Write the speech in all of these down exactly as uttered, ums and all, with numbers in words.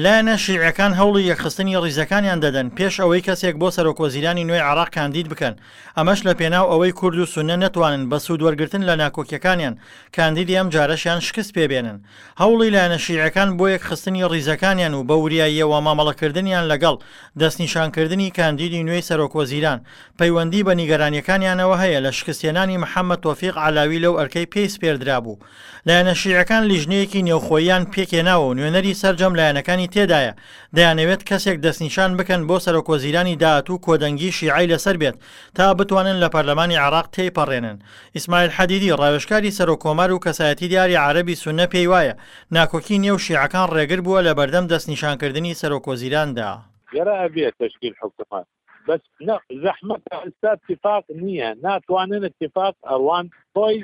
لایەنە شیعەکان هەوڵی یەکخستنی ڕیزەکانیان دەدەن پێش ئەوەی کەسێک بۆ سەرۆکوەزیرانی نوێی عێراق کاندید بکەن، ئەمەش لە پێناو ئەوەی کورد و سوننە نەتوانن بە سوود وەرگرتن لە ناکۆکیەکانیان کاندیدی ئەم جارەشیان شکست پێبێنن. هەوڵی لایەنە شیعەکان بۆ یەکخستنی ڕیزەکانیان و بە وریاییەوە مامەڵەکردنیان لەگەڵ دەستنیشانکردنی کاندیدی نوێی سەرۆکوەزیران پەیوەندی بە نیگەرانیەکانیانەوە هەیە لە شکستهێنانی محەممەد تۆفیق عەلاوی لەو ئەرکەی پێی سپێردرابوو. لایەنە شیعەکان لیژنەیەکی نێوخۆییان پێکهێناوە و نوێنەری سەرجەم لایەنەکانی تێدایە، دەیانەوێت کەسێک دەستنیشان بکەن بۆ سەرۆکوەزیرانی داهاتوو کۆدەنگی شیعەی لەسەر بێت تا بتوانن لە پەرلەمانی عێراق تێیپەڕێنن. ئیسماعیل حەدیدی، ڕاوێژکاری سەرۆککۆمار و کەسایەتی دیاری عەرەبی سوننە پێیوایە ناکۆکی نێو شیعەکان ڕێگر بووە لە بەردەم دەستنیشانکردنی سەرۆکوەزیراندا. گەرە ئەبێ تەشکیل حکومەت بەس نە زەحمەتە ئێستا اتفاق نییە ناتوانن اتفاق ئەڕوان خۆی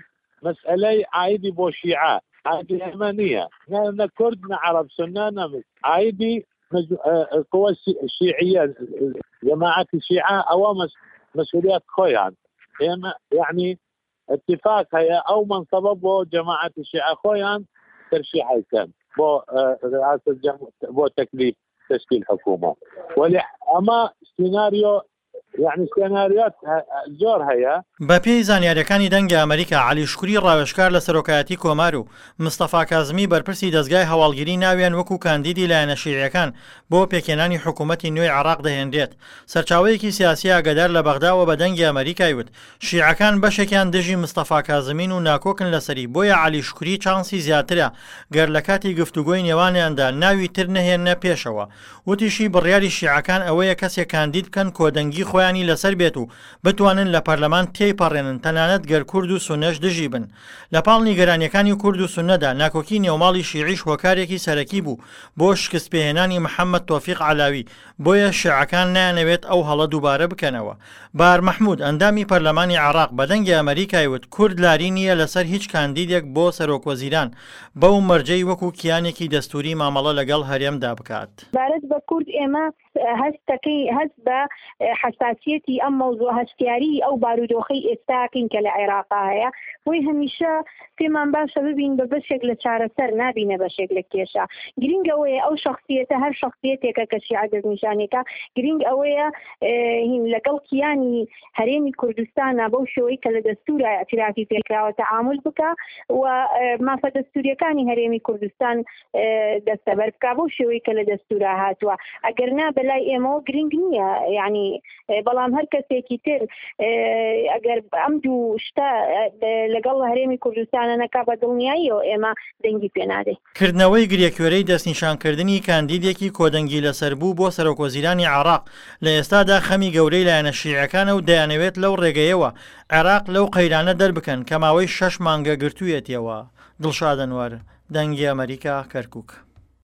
مەسئلەی عایدی بۆ شیعە عایدی ئێمە نییە نە نە کورد نە عەرەب سوننە نە عایدی قوە شیعیە جەماعەتی شیعە ئەوە مەسئولیات خۆیان ئێمە یعنی اتفاق هەیە ئەو منصبە بۆ جەماعەتی شیعە خۆیان ترشیحی کەن بۆ رئاسة بۆ تەکلیف تشكيل حكومة ولی ئەمە سیناریۆ یعنی سیناریۆات زۆر هەیە. بەپێی زانیاریەکانی دەنگی ئەمەریکا، عەلی شوکری ڕاوێژکار لە سەرۆکایەتی کۆمار و مستەفا کازمی بەرپرسی دەزگای هەواڵگری ناویان وەکو کاندیدی لایەنە شیعیەکان بۆ پێکهێنانی حکومەتی نوێی عێراق دەهێنرێت. سەرچاوەیەکی سیاسی ئاگادار لە بەغداوە بە دەنگی ئەمەریکای وت شیعەکان بەشێکیان دژی مستەفا کازمین و ناکۆکن لەسەری، بۆیە عەلی شوکری چانسی زیاترە گەر لە کاتی گفتوگۆی نێوانیاندا ناوی تر نەهێننە پێشەوە. وتیشی بڕیاری شیعەکان ئەوەیە کەسێک کاندید بکەن کۆدەنگی خۆیانی لەسەر بێت و بتوانن لە پەرلەمان تێیپەڕێنن تەنانەت گەر کورد و سوننەش دژی بن. لە پاڵ نیگەرانیەکانی کورد و سوننەدا ناکۆکی نێوماڵی شیعیش هۆکارێکی سەرەکی بوو بۆ شکست پێهێنانی محەممەد تۆفیق عەلاوی، بۆیە شیعەکان نایانەوێت ئەو هەڵە دووبارە بکەنەوە. بار مەحمود ئەندامی پەرلەمانی عێراق بە دەنگی ئەمەریکای وت کورد لاری نییە لەسەر هیچ کاندیدێک بۆ سەرۆکوەزیران بەو مەرجەی وەکو کیانێکی دەستوری مامەڵە لەگەڵ هەرێمدا بکات. سەبارەت بە کورد ئێمە هەستەکەی هەست بە حەساسیەتی ئەم مەوزوع هەستیاری ئەو بارودۆخەی ئێستاکەین کە لە عێراقا هەیە، بۆی هەمیشە پێمان باشە ببین بە بەشێک لە چارەسەر نابینە بەشێک لە کێشە. گرنگ ئەوەیە ئەو شخصیەتە هەر شخصیەتێکە کە شیعە دەستنیشانێکە، گرنگ ئەوەیە هین لەگەڵ کیانی هەرێمی کوردستانە بەو شێوەی کە لە دەستورا اعترافی پێکراوە تەعامل بکە و مافە دەستوریەکانی هەرێمی کوردستان دەستەبەر بکە بەو شێوەی کە لە دەستورا هاتووە. ئەگەر نا بەلای ئێمەوە گرنگ نییە، یعنی بەڵام هەر کەسێکی تر ئەگەر ئەم دوو شتە لەگەڵ هەرێمی کوردستانە نەکا بە دڵنیاییەوە ئێمە دەنگی پێنادەین. کردنەوەی گرێکوێرەی دەستنیشانکردنی کاندیدێکی کۆدەنگی لەسەر بوو بۆ سەرۆکوەزیرانی عێراق لە ئێستادا خەمی گەورەی لایەنە شیعەکانە و دەیانەوێت لەو ڕێگەیەوە عێراق لەو قەیرانە دەربکەن کە ماوەی شەش مانگە گرتوویەتیەوە. دڵشاد ئەنوەر، دەنگی ئەمەریکا، کەرکوک.